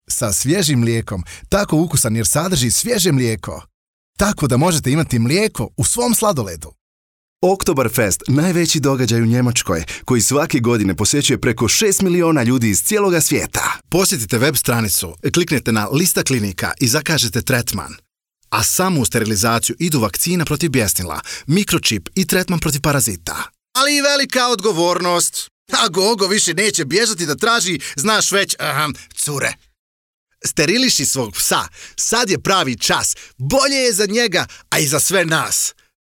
Sa svježim mlijekom, tako ukusan jer sadrži svježe mlijeko. Tako da možete imati mlijeko u svom sladoledu. Oktoberfest, najveći događaj u Njemačkoj, koji svake godine posjećuje preko 6 miliona ljudi iz cijeloga svijeta. Posjetite web stranicu, kliknete na lista klinika i zakažete tretman. A samo u sterilizaciju idu vakcina protiv bjesnila, mikročip i tretman protiv parazita. Ali i velika odgovornost. A Gogo više neće bježati da traži, znaš već, cure. Steriliši svog psa, sad je pravi čas, bolje je za njega, a i za sve nas.